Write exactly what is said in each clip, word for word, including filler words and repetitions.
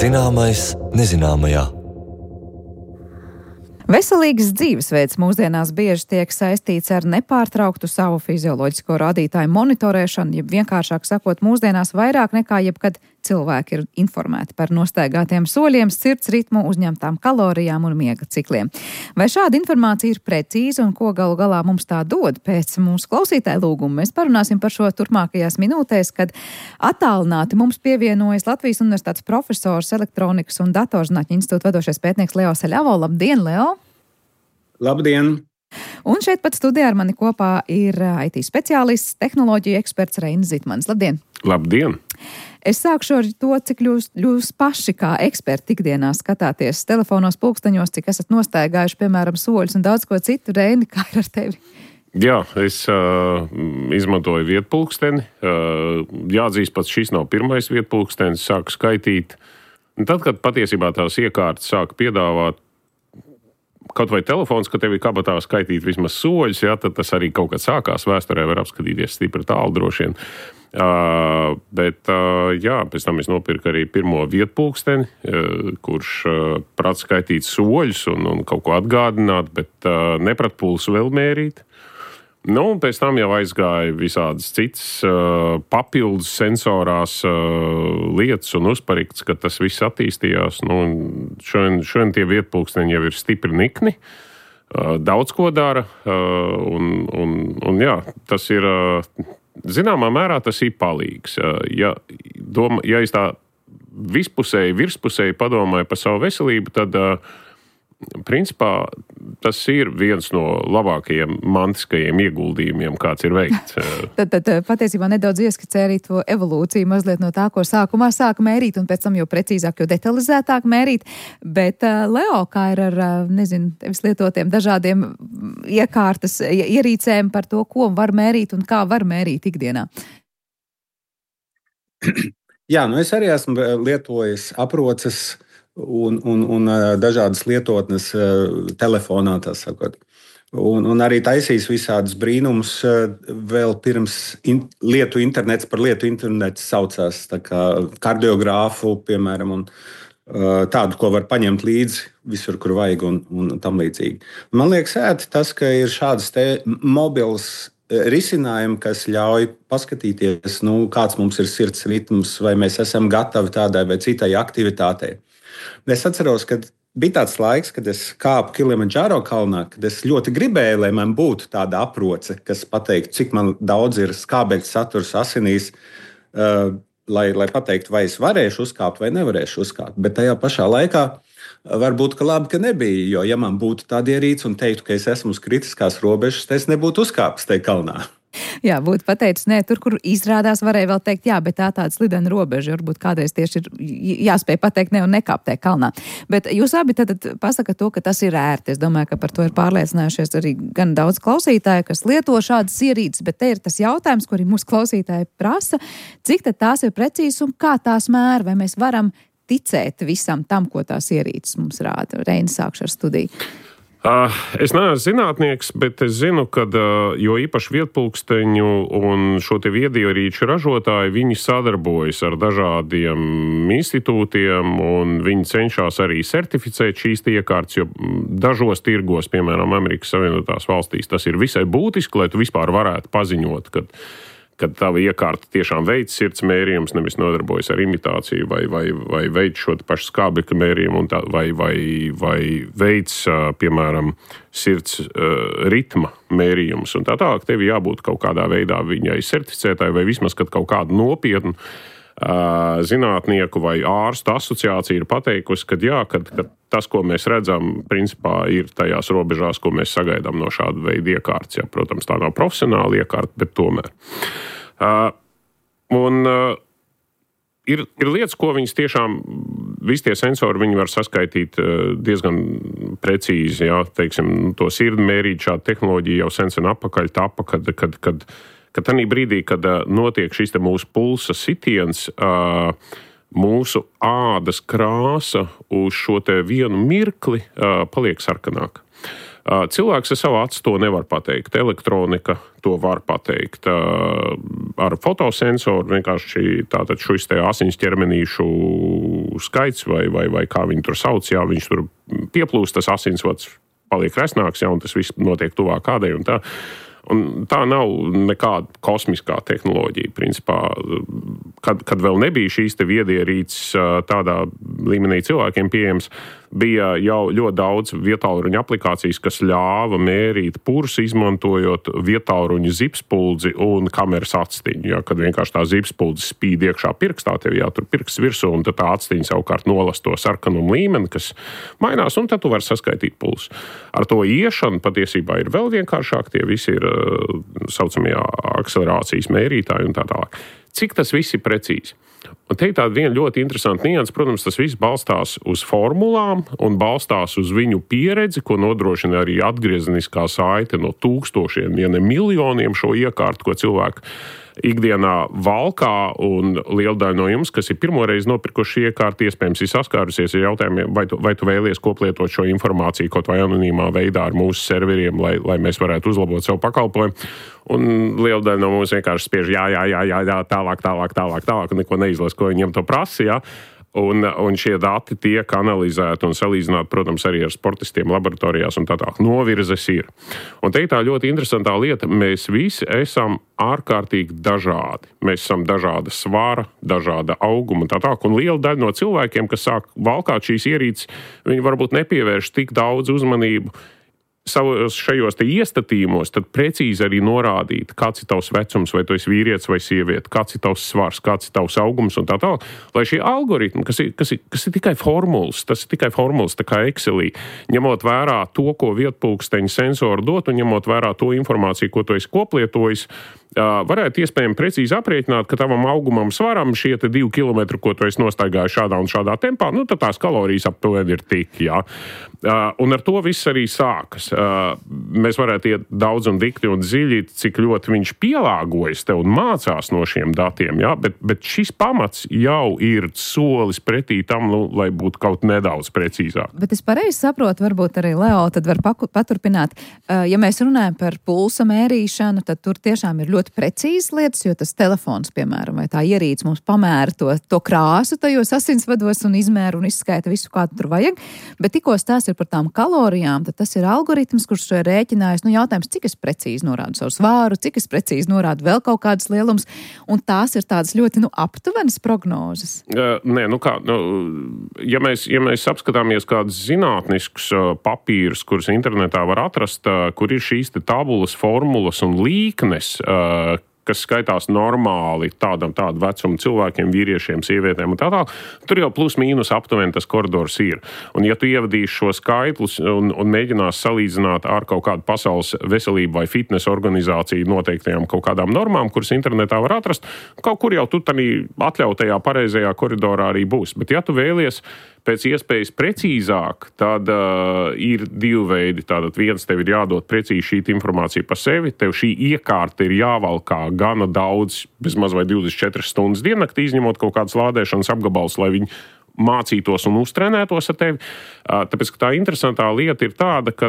Zināmais nezināmajā. Veselīgs dzīvesveids mūsdienās bieži tiek saistīts ar nepārtrauktu savu fizioloģisko rādītāju monitorēšanu, jeb vienkāršāk sakot, mūsdienās vairāk nekā jebkad cilvēki ir informēti par nostaigātiem soļiem, sirds ritmu, uzņemtām kalorijām un miega cikliem. Vai šāda informācija ir precīza un ko galu galā mums tā dod? Pēc mūsu klausītāju lūguma mēs parunāsim par šo turpmākajās minūtēs, kad attālināti mums pievienojas Latvijas Universitātes profesors, elektronikas un datorzinātņu institūta vadošais pētnieks Leo Saļavo. Labdien, Leo! Labdien! Un šeit pat studijā ar mani kopā ir I T speciālists, tehnoloģiju eksperts Reinis Zitmanis. Labdien! Labdien! Es sākšu ar to, cik jūs, jūs paši kā eksperti ikdienā skatāties telefonos, pulksteņos, cik esat nostaigājuši, piemēram, soļus un daudz ko citu. Reini, kā ir ar tevi? Jā, es uh, izmantoju vietpulksteni. Uh, jāatzīst, pats šis nav pirmais vietpulkstenis, sāku skaitīt. Un tad, kad patiesībā tās iekārtas sāka piedāvāt kaut vai telefons, ka tev ir kabatā skaitīt vismaz soļus, jā, tad tas arī kaut kad sākās. Vēsturē var apskatīties stipri tālu droši vien. Uh, bet, uh, jā, pēc tam es nopirku arī pirmo vietpulksteni, uh, kurš uh, prāt skaitīt soļus un, un kaut ko atgādināt, bet uh, neprat pulsu vēl mērīt. Nu, un pēc tam jau aizgāja visādas citas uh, papildus sensorās uh, lietas un uzparikts, ka tas viss attīstījās. Nu, šodien, šodien tie vietpulksteņi jau ir stipri nikni, uh, daudz ko dara, uh, un, un, un jā, tas ir, uh, zināmā mērā tas ir palīgs. Uh, ja, doma, ja es tā vispusēji, virspusēji padomāju par savu veselību, tad uh, principā tas ir viens no labākajiem mantiskajiem ieguldījumiem, kāds ir veikts. tad, tad patiesībā nedaudz ieskicē arī to evolūciju mazliet no tā, ko sākumā sāka mērīt un pēc tam jau precīzāk, jo detalizētāk mērīt. Bet, Leo, kā ir ar, nezinu, tevis lietotiem dažādiem iekārtas ierīcēm par to, ko var mērīt un kā var mērīt ikdienā? Jā, nu es arī esmu lietojis aproces Un, un, un dažādas lietotnes telefonā, tā sakot. Un, un arī taisīs visādus brīnumus vēl pirms in, lietu internets par lietu internets saucās, tā kā kardiogrāfu, piemēram, un tādu, ko var paņemt līdzi visur, kur vajag un, un tam līdzīgi. Man liekas ēti tas, ka ir šādas te mobils risinājumi, kas ļauj paskatīties, nu, kāds mums ir sirds ritms, vai mēs esam gatavi tādai vai citai aktivitātei. Es atceros, ka bija tāds laiks, kad es kāpu Kilimandžāro kalnā, kad es ļoti gribēju, lai man būtu tāda aproce, kas pateiktu, cik man daudz ir skābekļa saturs asinīs, uh, lai, lai pateiktu, vai es varēšu uzkāpt vai nevarēšu uzkāpt. Bet tajā pašā laikā varbūt ka labi, ka nebija, jo ja man būtu tāda ierīce un teiktu, ka es esmu uz kritiskās robežas, tad es nebūtu uzkāpis tajā kalnā. Jā, būtu pateicis, nē, tur, kur izrādās, varēja vēl teikt, jā, bet tā tāda slidena robeža, varbūt kādreiz tieši ir jāspēj pateikt, ne un nekāpt tajā kalnā. Bet jūs abi tad pasakat to, ka tas ir ērti. Es domāju, ka par to ir pārliecinājušies arī gan daudz klausītāju, kas lieto šādas ierīces, bet te ir tas jautājums, ko arī mūsu klausītāji prasa, cik tad tās ir precīzas un kā tās mēra, vai mēs varam ticēt visam tam, ko tās ierīces mums rāda. Reinis, sākšu ar studiju. Uh, es neesmu zinātnieks, bet es zinu, ka uh, jo īpaši vietpulksteņu un šo te viedierīču ražotāji, viņi sadarbojas ar dažādiem institūtiem un viņi cenšas arī certificēt šīs iekārtas, jo dažos tirgos, piemēram, Amerikas Savienotās valstīs, tas ir visai būtiski, lai tu vispār varētu paziņot, kad kad tava iekārta tiešām veic sirds mērījums, nevis nodarbojas ar imitāciju vai, vai, vai veic šo pašu skābekļa mērījumu, tā, vai, vai, vai veic, piemēram, sirds uh, ritma mērījumus. Un tā tālāk tev jābūt kaut kādā veidā viņai certificētāji vai vismaz kaut kādu nopietnu uh, zinātnieku vai ārstu asociācija ir pateikusi, ka jā, kad, kad tas, ko mēs redzam, principā ir tajās robežās, ko mēs sagaidām no šāda veida iekārtas. Ja, protams, tā nav profesionāla iekārta, bet tomēr. Uh, un uh, ir, ir lietas, ko viņas tiešām, visi tie sensori, viņi var saskaitīt uh, diezgan precīzi, ja, teiksim, to sirdi mērīt, šāda tehnoloģija jau sen sen apakaļ tapa, kad, kad, kad, kad tanī brīdī, kad uh, notiek šis te mūsu pulsa sitiens, uh, mūsu ādas krāsa uz šo te vienu mirkli uh, paliek sarkanāka. Uh, cilvēks ar savu acu to nevar pateikt. Elektronika to var pateikt. Uh, ar fotosensoru vienkārši tātad šis te asiņas ķermenīšu skaits vai, vai, vai kā viņi tur sauc, jā, viņš tur pieplūst, tas asinsvads paliek resnāks, jā, un tas viss notiek tuvāk kādai un tā. Un tā nav nekāda kosmiskā tehnoloģija. Principā, kad, kad vēl nebija šīs te viedierīces tādā līmenī cilvēkiem pieejams, bija jau ļoti daudz vietālruņa aplikācijas, kas ļāva mērīt pulsu, izmantojot vietālruņa zipspuldzi un kameras atstiņu. Ja, kad vienkārši tā zipspuldze spīd iekšā pirkstā, tev jātur pirksts virsū, un tad tā atstiņa savukārt nolas to sarkanumu līmeni, kas mainās, un tad tu vari saskaitīt pulsu. Ar to iešanu patiesībā ir vēl vienkāršāk, tie visi ir saucamie akcelerācijas mērītāji un tā tālāk. Cik tas viss ir precīzi? Un te ir tāda viena ļoti interesanta nianse. Protams, tas viss balstās uz formulām un balstās uz viņu pieredzi, ko nodrošina arī atgriezeniskā saite no tūkstošiem, ja ne miljoniem šo iekārtu, ko cilvēki ikdienā valkā, un liela daļa no jums, kas ir pirmoreiz nopirkuši iekārtu, iespējams ir saskārusies ar jautājumiem, vai tu, vai tu vēlies koplietot šo informāciju kaut vai anonīmā veidā ar mūsu serveriem, lai, lai mēs varētu uzlabot savu pakalpojumu. Un liela daļa no mums vienkārši spiež jā, jā, jā, jā, jā, tālāk, tālāk, tālāk, tālāk, un neko neizlas, ko viņiem to prasa, jā. Un, un šie dati tiek analizēti un salīdzināti, protams, arī ar sportistiem laboratorijās un tā tā. Novirzes ir. Un te ir tā ļoti interesantā lieta. Mēs visi esam ārkārtīgi dažādi. Mēs esam dažāda svara, dažāda auguma un tā tā. Un liela daļa no cilvēkiem, kas sāk valkāt šīs ierīces, viņi varbūt nepievērš tik daudz uzmanību savos šajos te iestatījumos, tad precīzi arī norādīt, kāds ir tavs vecums, vai tu esi vīrietis vai sieviete, kāds ir tavs svars, kāds ir tavs augums un tā tālāk. Lai šie algoritmi, kas ir, kas ir, kas ir tikai formulas, tas ir tikai formulas, tā kā Excelī, ņemot vērā to, ko vietpulksteņa sensori dot, un ņemot vērā to informāciju, ko tu esi koplietojis, varētu iespējami precīzi aprēķināt, ka tavam augumam svaram šie te divi kilometri, ko tu esi nostaigājis šādā un šādā tempā, nu tad tās kalorijas aptuveni ir tik, jā. Un ar to viss arī sākas. Mēs varētu iet daudz un dikti un dziļi, cik ļoti viņš pielāgojas tev un mācās no šiem datiem, jā, bet, bet šis pamats jau ir solis pretī tam, nu, lai būtu kaut nedaudz precīzāk. Bet es pareizi saprotu, varbūt arī Leo tad var paturpināt. Ja mēs runājam par pulsa mērīšanu, tad tur tiešām ir ļoti ļoti precīzas lietas, jo tas telefons, piemēram, vai tā ierīce mums pamēra to, to krāsu tajos asinsvados un izmēra un izskaita visu, kā tur vajag. Bet tikko tās ir par tām kalorijām, tad tas ir algoritms, kurš to ir rēķinājis. Nu, jautājums, cik es precīzi norādu savu svāru, cik es precīzi norādu vēl kaut kādas lielums, un tās ir tādas ļoti, nu, aptuvenas prognozes. Uh, nē, nu kā, nu, ja mēs, ja mēs apskatāmies kādus zinātniskus uh, papīrus, kurus internetā var atrast, uh, kur ir šīs te tabulas, formulas un līknes, uh, kas skaitās normāli tādam tādu vecumu cilvēkiem, vīriešiem, sievietēm un tā tā, tur jau plus mīnus aptuveni tas koridors ir. Un ja tu ievadīsi šo skaitlus un, un mēģinās salīdzināt ar kaut kādu pasaules veselību vai fitnesa organizāciju noteiktajām kaut kādām normām, kuras internetā var atrast, kaut kur jau tu tādī atļautajā pareizajā koridorā arī būs. Bet ja tu vēlies pēc iespējas precīzāk, tad uh, ir divi veidi. Tātad viens, tev ir jādod precīzi šī informācija par sevi, tev šī iekārta ir jāvalkā gana daudz, bezmaz vai divdesmit četras stundas diennaktī, izņemot kaut kādas lādēšanas apgabals, lai viņi mācītos un uztrenētos ar tevi. Tāpēc, ka tā interesantā lieta ir tāda, ka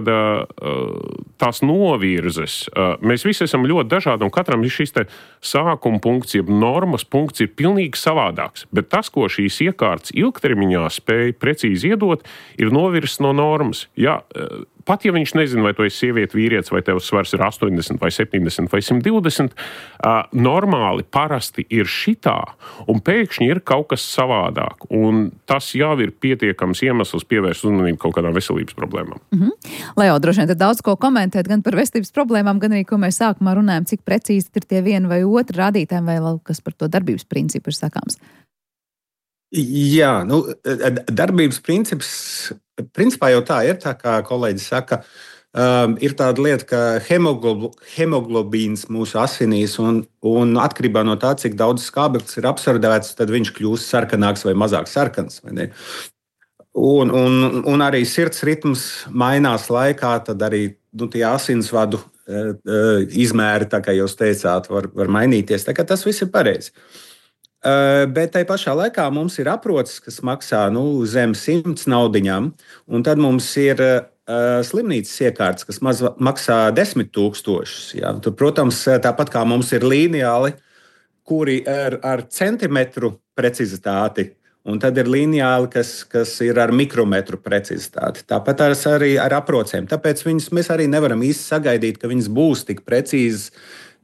tās novirzes, mēs visi esam ļoti dažādi, un katram ir šis te sākuma punkts, jeb normas punkts ir pilnīgi savādāks. Bet tas, ko šīs iekārtas ilgtermiņā spēj precīzi iedot, ir novirzes no normas. Jā, pat ja viņš nezina, vai tu esi sieviete, vīrietis, vai tev svars ir astoņdesmit, vai septiņdesmit, vai simt divdesmit, uh, normāli parasti ir šitā, un pēkšņi ir kaut kas savādāk. Un tas jau ir pietiekams iemesls pievērst uzmanību kaut kādām veselības problēmām. Mm-hmm. Leo, droši vien tad daudz ko komentēt gan par veselības problēmām, gan arī, ko mēs sākumā runājam, cik precīzi ir tie vieni vai otri rādītāji, vai kas par to darbības principu ir sakāms. Jā, nu, darbības princips, principā jau tā ir, tā kā kolēģis saka, um, ir tāda lieta, ka hemoglob, hemoglobīns mūsu asinīs, un, un atkarībā no tā, cik daudz skābeklis ir absorbēts, tad viņš kļūst sarkanāks vai mazāk sarkans. Vai ne? Un, un, un arī sirds ritms mainās laikā, tad arī nu, tie asinsvadu uh, uh, izmēri, tā kā jūs teicāt, var, var mainīties. Tā kā tas viss ir pareizi. Uh, bet tai pašā laikā mums ir aproces, kas maksā nu, zem simts naudiņām, un tad mums ir uh, slimnīcas iekārtas, kas maz, maksā desmit tūkstošus. Ja? Tur, protams, tāpat kā mums ir līniāli, kuri ar, ar centimetru precizitāti Un tad ir lineāli, kas, kas ir ar mikrometru precizitāti. Tāpat arī ar aprocēm. Tāpēc viņas, mēs arī nevaram īsti sagaidīt, ka viņas būs tik precīzas,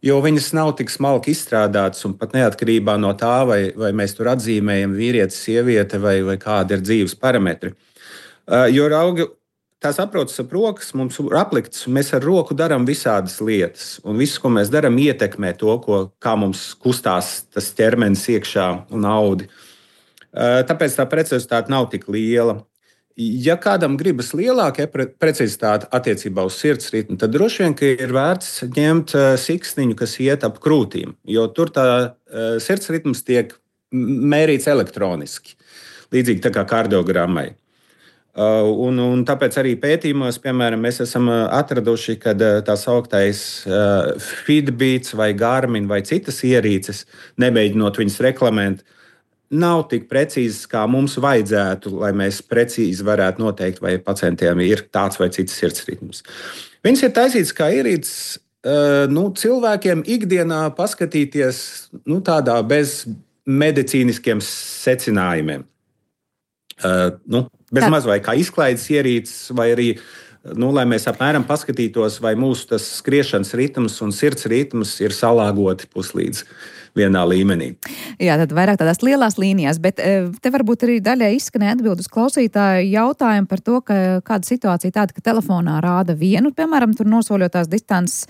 jo viņas nav tik smalki izstrādātas un pat neatkarībā no tā, vai, vai mēs tur atzīmējam vīrietis, sieviete vai, vai kādi ir dzīves parametri. Uh, jo raugi, tās aproces ap rokas mums ir apliktas, un mēs ar roku darām visādas lietas. Un viss, ko mēs darām, ietekmē to, ko, kā mums kustās tas ķermenis iekšā un audi. Tāpēc tā precizitāte nav tik liela. Ja kādam gribas lielāka precizitāte attiecībā uz sirds ritmu, tad droši vien ir vērts ņemt siksniņu, kas iet ap krūtīm, jo tur tā sirds ritms tiek mērīts elektroniski, līdzīgi tā kā kardiogrammai. Un, un tāpēc arī pētījumos, piemēram, mēs esam atraduši, ka tā sauktais Fitbits vai Garmin vai citas ierīces, nemēģinot viņas reklamēt, nav tik precīzas, kā mums vajadzētu, lai mēs precīzi varētu noteikt, vai pacientiem ir tāds vai cits sirds ritms. Viņas ir taisītas kā ierīces nu, cilvēkiem ikdienā paskatīties nu, tādā bez medicīniskiem secinājumiem. Uh, nu, bez maz vai kā izklaides ierīces, vai arī, nu, lai mēs apmēram paskatītos, vai mūsu tas skriešanas ritms un sirds ritms ir salāgoti puslīdz vienā līmenī. Jā, tad vairāk tādās lielās līnijās, bet te varbūt arī daļai izskanēja atbild uz klausītāju jautājumu par to, ka kāda situācija tāda, ka telefonā rāda vienu, piemēram, tur nosoļotās distances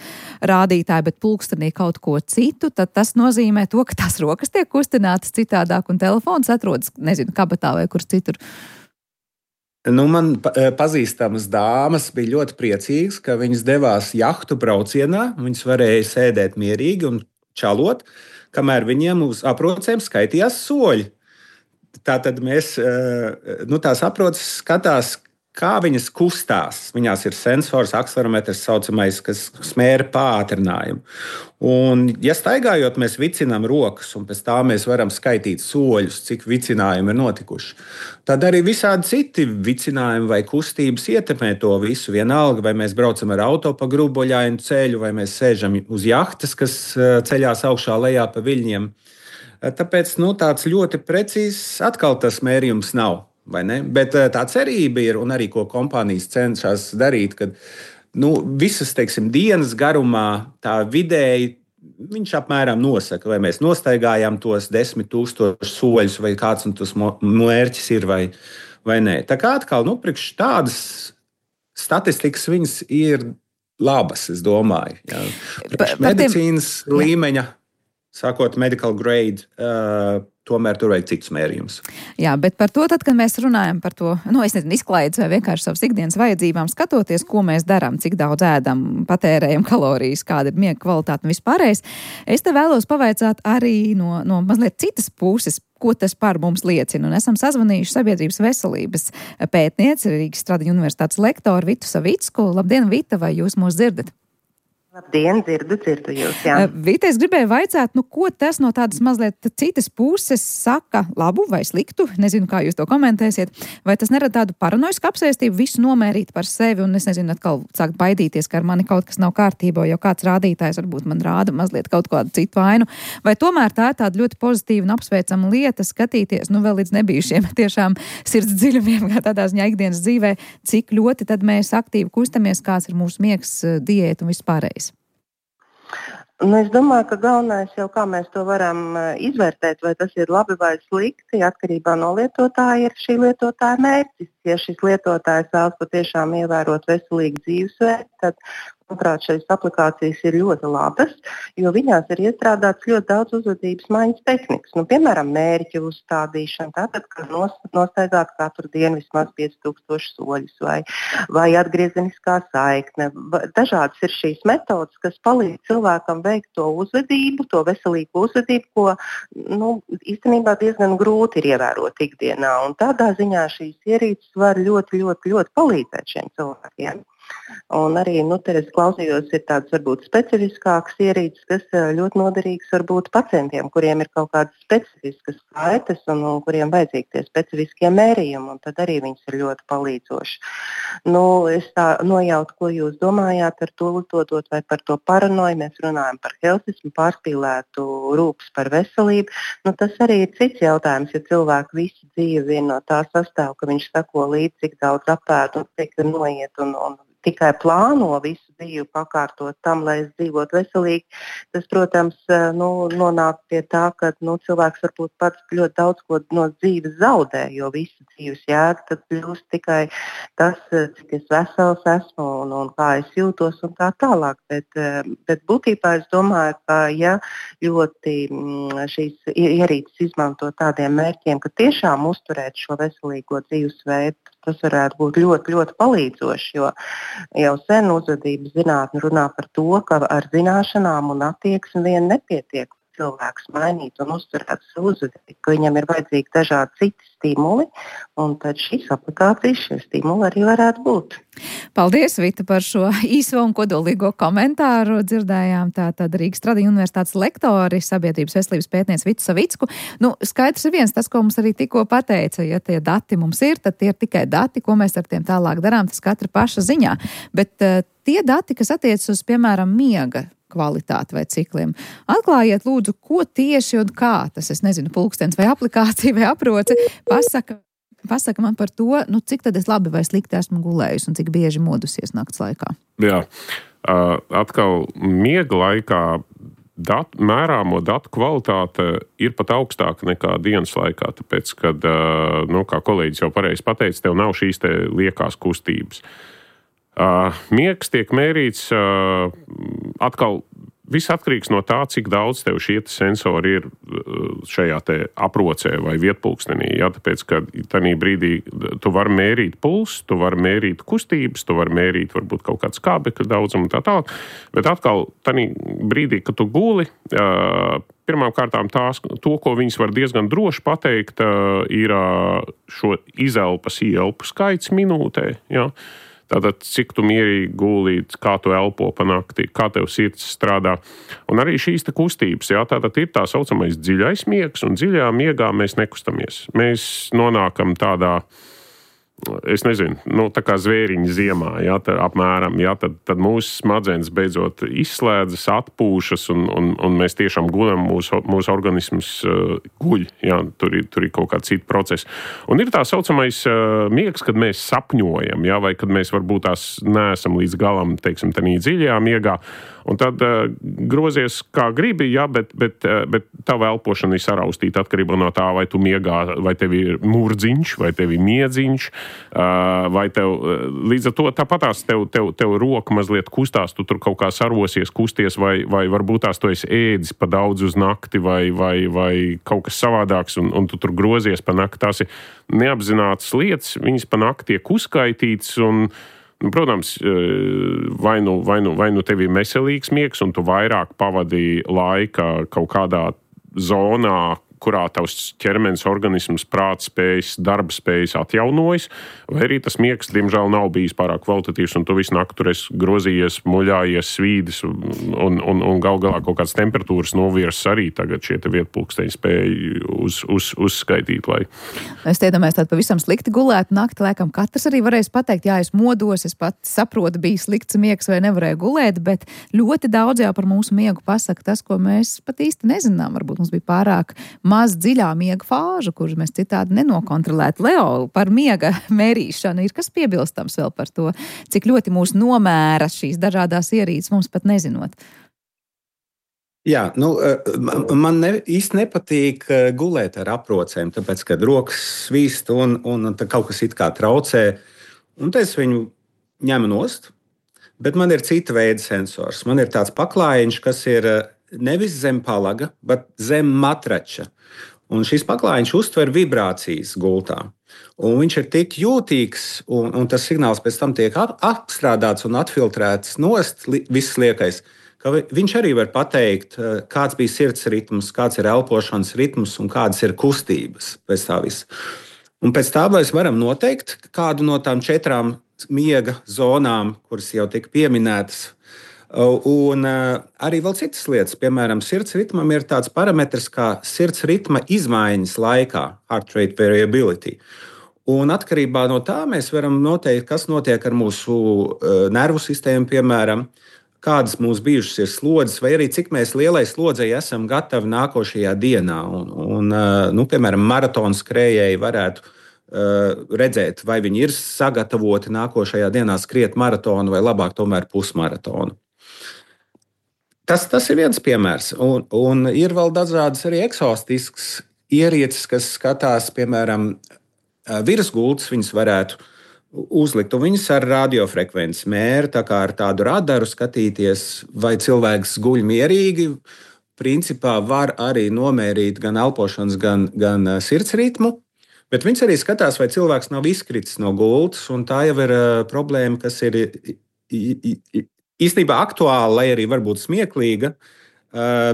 rādītāji, bet pulkstenī kaut ko citu, tad tas nozīmē to, ka tās rokas tiek kustinātas citādāk un telefons atrodas, nezinu, kabatā vai kur citur. Nu, man pazīstamas dāmas bija ļoti priecīgas, ka viņas devās jahtu braucienā, viņas varēja sēdēt mierīgi un čalot, kamēr viņiem uz aprocēm skaitījās soļi. Tātad mēs, nu, tās aproces skatās, kā viņas kustās. Viņās ir sensors, akselerometrs saucamais, kas smēra pātrinājumu. Un, ja staigājot, mēs vicinām rokas, un pēc tā mēs varam skaitīt soļus, cik vicinājumi ir notikuši. Tad arī visādi citi vicinājumi vai kustības ietekmē to visu. Vienalga, vai mēs braucam ar auto pa gruboļainu ceļu, vai mēs sēžam uz jahtas, kas ceļās augšā lejā pa viļņiem. Tāpēc nu, tāds ļoti precīzs atkal tas mērījums nav. Bet tā cerība ir, un arī ko kompānijas cenšas darīt, ka nu, visas teiksim, dienas garumā tā vidēji viņš apmēram nosaka, vai mēs nostaigājām tos desmit tūkstošus soļus, vai kāds tas mērķis ir, vai, vai nē. Tā kā atkal nu, priekš tādas statistikas viņas ir labas, es domāju. Jā. Priekš medicīnas tiem... līmeņa, sākot medical grade, uh, tomēr tur vajag citus mērījumus. Jā, bet par to, tad, kad mēs runājam par to, nu, es nezinu, izklaides vai vienkārši savas ikdienas vajadzībām, skatoties, ko mēs darām, cik daudz ēdam, patērējam kalorijas, kāda ir miega kvalitāte un vispārējais, es te vēlos pavaicāt arī no, no mazliet citas puses, ko tas par mums liecina. Un esam sazvanījuši sabiedrības veselības pētnieci, Rīgas Stradiņu universitātes lektoru Vitu Savicku. Labdien, Vita, vai jūs mūs dzirdat? Labdien, dzirdu, dzirdu jūs, jā. Vita, es gribēju vaicāt, nu, ko tas no tādas mazliet citas puses saka labu vai sliktu, nezinu, kā jūs to komentēsiet, vai tas nerada tādu paranoisku apsēstību, visu nomērīt par sevi, un es nezinu, atkal sākt baidīties, ka ar mani kaut kas nav kārtībā, jo kāds rādītājs varbūt man rāda mazliet kaut kādu citu vainu, vai tomēr tā ir tāda ļoti pozitīva un apsveicama lieta skatīties, nu, vēl līdz nebijušiem tiešām sirds dziļumiem, kā tādā ziņā ikdienas dzīvē, cik ļoti tad mēs aktīvi kustamies, kāds ir mūsu miegs, diēta un vispārējais. Nu, es domāju, ka galvenais jau kā mēs to varam izvērtēt, vai tas ir labi vai slikti, atkarībā no lietotāja ir šī lietotāja mērķis. Ja šis lietotājs vēlas patiešām ievērot veselīgu dzīvesveidu, tad, manuprāt, šīs aplikācijas ir ļoti labas, jo viņās ir iestrādāts ļoti daudz uzvedības maiņas tehnikas. Nu, piemēram, mērķu uzstādīšana, tātad, ka nostaigāt katru dienu vismaz pieci tūkstoši soļus, vai, vai atgriezeniskā saikne. Dažādas ir šīs metodas, kas palīdz cilvēkam veikt to uzvedību, to veselīgu uzvedību, ko nu, īstenībā diezgan grūti ir ievērot ikdienā. Un tādā ziņā šīs ierīces var ļoti, ļoti, ļoti palīdzēt šiem cilvēkiem. Un arī, nu, te es klausījos, ir tāds varbūt specifiskāks ierīces, kas ļoti noderīgs varbūt pacientiem, kuriem ir kaut kādas specifiskas saites un, un kuriem vajadzīgi tie specifiskie mērījumi, un tad arī viņas ir ļoti palīdzoši. Nu, es tā nojautu, ko jūs domājāt ar to lietotot vai par to paranoju. Mēs runājam par helsismu, pārspīlētu rūpes par veselību. Nu, tas arī ir cits jautājums, ja cilvēku visu dzīvi vien no tā sastāv, ka viņš sako līdzi, cik daudz apēd un cik noiet un, un tikai plāno visu dzīvi pakārtot tam, lai es dzīvotu veselīgi. Tas, protams, nu, nonāk pie tā, ka nu, cilvēks varbūt pats ļoti daudz ko no dzīves zaudē, jo visu dzīves jēga tad kļūst tikai tas, cik es vesels esmu un, un kā es jūtos un tā tālāk. Bet, bet būtībā es domāju, ka ja ļoti šīs ierīces izmanto tādiem mērķiem, ka tiešām uzturēt šo veselīgo dzīvesveidu, tas varētu būt ļoti, ļoti palīdzoši, jo jau sen uzvedības zinātne runā par to, ka ar zināšanām un attieksmi vien nepietiek cilvēks mainīt un uzturēt savu uzvedību, ka viņam ir vajadzīgi dažādi citi stimuli, un tad šīs aplikācijas, šie stimuli arī varētu būt. Paldies, Vita, par šo īso un kodolīgo komentāru. Dzirdējām tātad Rīgas Tradiņu universitātes lektori, sabiedrības veselības pētniece Vitu Savicku. Nu, skaidrs ir viens, tas, ko mums arī tikko pateica, ja tie dati mums ir, tad tie ir tikai dati, ko mēs ar tiem tālāk darām, tas katra paša ziņā. Bet uh, tie dati, kas attiec uz, piemēram, miega kvalitāti vai cikliem. Atklājiet, lūdzu, ko tieši un kā tas, es nezinu, pulkstens vai aplikācija vai aproce, pasaka, pasaka man par to, nu, cik tad es labi vai slikti esmu gulējusi un cik bieži modusies nakts laikā. Jā, uh, atkal miega laikā dat, mērāmo datu kvalitāte ir pat augstāka nekā dienas laikā, tāpēc, kad, uh, nu, kā kolēģis jau pareizi pateica, tev nav šīs te liekās kustības. Uh, miegs tiek mērīts uh, atkal viss atkarīgs no tā, cik daudz tev šie sensori ir šajā te aprocē vai vietpulkstenī. Ja? Tāpēc, ka tajā brīdī tu vari mērīt pulsu, tu vari mērīt kustības, tu vari mērīt varbūt kaut kāds skābekļa daudzumu un tā tālāk. Bet atkal tajā brīdī, kad tu guli, uh, pirmām kārtām tās, to, ko viņas var diezgan droši pateikt, uh, ir uh, šo izelpas ielpu skaits minūtē. Ja? Tātad, cik tu mierīgi gulīt, kā tu elpo pa nakti, kā tev sirds strādā. Un arī šīs te kustības, jā, tātad ir tā saucamais dziļais miegs, un dziļā miegā mēs nekustamies. Mēs nonākam tādā, es nezinu, nu, tā kā zvēriņa ziemā, jā, tā, apmēram, jā, tad, tad mūsu smadzenes beidzot izslēdzas, atpūšas, un, un, un mēs tiešām guļam, mūsu, mūsu organisms uh, guļ, jā, tur ir, tur ir kaut kāda cita procesa. Un ir tā saucamais uh, miegs, kad mēs sapņojam, jā, vai kad mēs varbūt tās neesam līdz galam, teiksim, tādā dziļajā miegā, un tad uh, grozies kā gribi, jā, bet, bet, uh, bet tava elpošana ir saraustīta atkarībā no tā, vai tu miegā, vai tev ir murdziņš, vai tev ir miedziņš, vai tev, līdz ar to tāpatās tev, tev, tev roka mazliet kustās, tu tur kaut kā sarosies, kusties, vai, vai varbūt tās tu esi ēdis pa daudz uz nakti, vai, vai, vai kaut kas savādāks, un, un tu tur grozies pa nakti. Tās ir neapzinātas lietas, viņas pa nakti tiek uzskaitītas, un, nu, protams, vai nu, vai, nu, vai nu tev ir veselīgs miegs, un tu vairāk pavadīji laika kaut kādā zonā, kurā tavs ķermenis, organisms, prāts spējas, darba spējas atjaunojas, vai arī tas miegs, diemžēl, nav bijis pārāk kvalitatīvs, un tu visu nakti tur esi grozījies, muļājies, svīdis, un, un, un gal galā kaut kādas temperatūras novirs arī tagad šie te vietpulksteņi spēja uz, uz, uzskaitīt. Lai... Es iedomājos tādu pavisam slikti gulētu nakti, laikam katrs arī varēs pateikt, jā, es modos, es pat saprotu, bija slikts miegs vai nevarēju gulēt, bet ļoti daudz jau par mūsu miegu pasaka tas, ko mēs pat īsti nezinām. Varbūt mums bija pārāk maz dziļā miega fāžu, kuras mēs citādi nenokontrolētu. Leo, par miega mērīšanu ir kas piebilstams vēl par to, cik ļoti mūs nomēra šīs dažādās ierīces, mums pat nezinot. Jā, nu, man ne, īsti nepatīk gulēt ar aprocēm, tāpēc, kad rokas svīst un, un kaut kas it kā traucē, un tad es viņu ņemu nost, bet man ir cita veida sensors. Man ir tāds paklājiņš, kas ir nevis zem palaga, bet zem matrača. Un šis paklājiņš uztver vibrācijas gultā. Un viņš ir tik jūtīgs, un, un tas signāls pēc tam tiek apstrādāts un atfiltrēts nost, viss liekais, ka viņš arī var pateikt, kāds bija sirds ritms, kāds ir elpošanas ritms un kādas ir kustības pēc tā visa. Un pēc tā mēs varam noteikt kādu no tām četrām miega zonām, kuras jau tika pieminētas. Un arī vēl citas lietas, piemēram, sirds ritmam ir tāds parametrs kā sirds ritma izmaiņas laikā, heart rate variability. Un atkarībā no tā mēs varam noteikt, kas notiek ar mūsu nervu sistēmu, piemēram, kādas mūsu bijušas ir slodzes, vai arī cik mēs lielai slodzei esam gatavi nākošajā dienā. Un, un, nu, piemēram, maratona skrējēji varētu uh, redzēt, vai viņi ir sagatavoti nākošajā dienā skriet maratonu vai labāk tomēr pusmaratonu. Tas, tas ir viens piemērs. Un, un ir vēl dažādas arī eksotiskas ierīces, kas skatās, piemēram, virsgultas, viņas varētu uzlikt, un viņas ar radiofrekvenci mēra, tā kā ar tādu radaru skatīties, vai cilvēks guļ mierīgi. Principā var arī nomērīt gan elpošanas, gan, gan sirds ritmu, bet viņas arī skatās, vai cilvēks nav izkritis no gultas, un tā jau ir problēma, kas ir īstenībā aktuāla, lai arī varbūt smieklīga,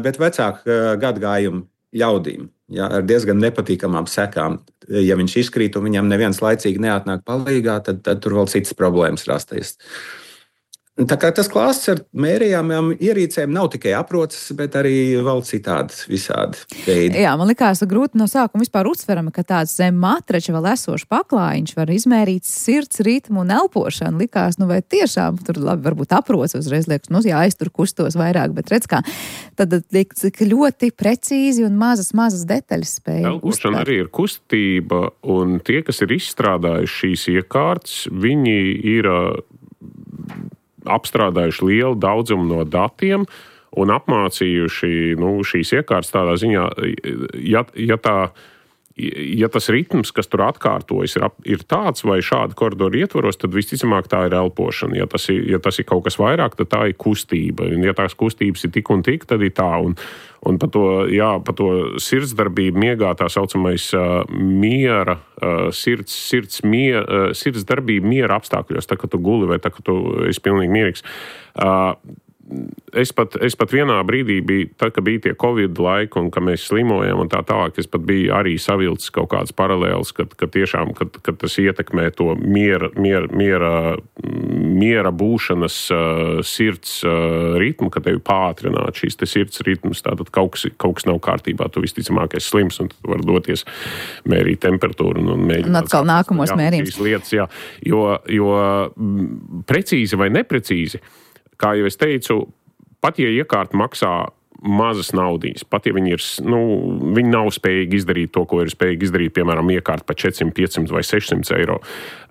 bet vecāku gadgājumu ļaudīm, ja, ar diezgan nepatīkamām sekām. Ja viņš izkrīt un viņam neviens laicīgi neatnāk palīgā, tad, tad tur vēl citas problēmas rasties. Tā kā tas klāsts ar mērījāmām ierīcēm nav tikai aproces, bet arī vēl citādi visādi veidi. Jā, man likās grūti no sākuma vispār uztverama, ka tāds zem matrača vēl esošs paklājiņš var izmērīt sirds ritmu un elpošanu. Likās, nu vai tiešām tur labi, varbūt aproces uzreiz liekas, nu jā, es tur kustos vairāk, bet redz kā, tad liek, cik ļoti precīzi un mazas, mazas detaļas spēja uztvert. Elpošana arī ir kustība, un tie, kas ir izstrādājuši šīs iekārtas, viņi ir apstrādājuši lielu daudzumu no datiem un apmācījuši nu, šīs iekārtas tādā ziņā, ja, ja, tā, ja tas ritms, kas tur atkārtojas, ir, ir tāds vai šāda koridora ietvaros, tad visticamāk tā ir elpošana. Ja tas ir, ja tas ir kaut kas vairāk, tad tā ir kustība. Un ja tās kustības ir tik un tik, tad ir tā. Un, un par to, jā, par to sirdsdarbību miegā tā saucamais uh, miera, uh, sirds, sirds, mier, uh, sirdsdarbība miera apstākļos, tā kā tu guli vai tā kā tu esi pilnīgi mierīgs. Uh, Es pat, es pat vienā brīdī biju, tad, kad bija tie Covid laiki un ka mēs slimojam un tā tālāk, es pat biju arī savilcis kaut kādas paralēlas, kad, kad tiešām, kad, kad tas ietekmē to miera, miera, miera, miera būšanas uh, sirds uh, ritmu, ka tevi pātrināt šīs te sirds ritmus, tātad kaut kas, kaut kas nav kārtībā, tu visticamāk esi slims un tu var doties mērīt temperatūru un, un mēģināt. Un atkal nākamos mērījums. Lietas, jā, jo, jo precīzi vai neprecīzi, kā jau es teicu, pat ja iekārta maksā mazas naudas, pat ja viņi, ir, nu, viņi nav spējīgi izdarīt to, ko ir spējīgi izdarīt, piemēram, iekārta par četrsimt, piecsimt vai sešsimt eiro,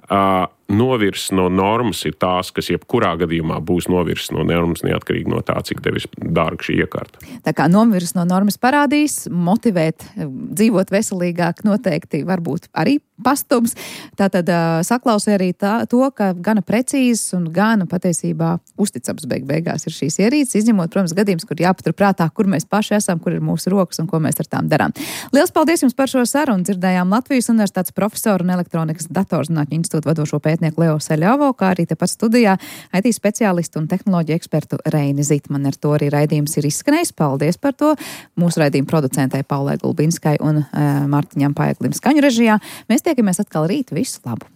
uh, novirs no normas ir tās, kas jebkurā gadījumā būs novirs no normas, neatkarīgi no tā, cik tev ir dārga šī iekārta. Tā kā novirs no normas parādīs, motivēt, dzīvot veselīgāk noteikti varbūt arī pastums. Tātad uh, saklausē arī tā, to, ka gana precīzes un gana patiesībā uzticams beig beigās ir šīs ierīces, izņemot, protams, gadījums, kur jāpatur prātā, kur mēs paši esam, kur ir mūsu rokas un ko mēs ar tām darām. Liels paldies jums par šo sarunu. Dzirdējām Latvijas Universitātes profesoru un elektronikas datorzinātņu institūta vadošo pētnieku Leo Seļovo, kā arī tepat studijā I T speciālistu un tehnoloģiju ekspertu Reini Zitmani. Ar to arī raidījums ir izskanējis. Paldies par to. Mūsu raidījuma producentei Paulai Gulbinskai un e, Martiņam Paeglim skaņu režijā. Mēs tiekamies atkal rīt. Visu labu!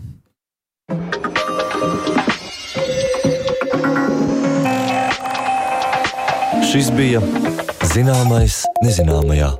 Šis bija Zināmais nezināmajā.